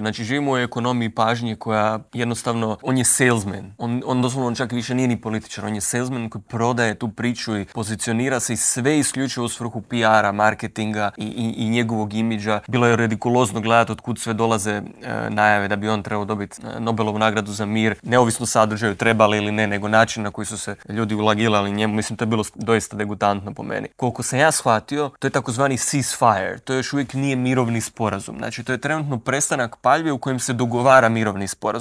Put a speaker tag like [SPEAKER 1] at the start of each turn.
[SPEAKER 1] Znači, živimo u ekonomiji pažnje koja jednostavno, on je salesman. On doslovno čak više nije ni političar, on je salesman koji prodaje tu priču i pozicionira se i sve isključivo u svrhu PR-a, marketinga i njegovog imidža. Bilo je ridikulozno gledati od kud sve dolaze najave da bi on trebao dobiti Nobelovu nagradu za mir, neovisno sadržaju trebali ili ne, nego način na koji su se ljudi ulagilali njemu. Mislim, to je bilo doista degutantno po meni. Koliko sam ja shvatio, to je takozvani ceasefire. To još uvijek nije mirovni sporazum. Znači, to je trenutno prestanak paljbe u kojem se dogovara mirovni sporazum.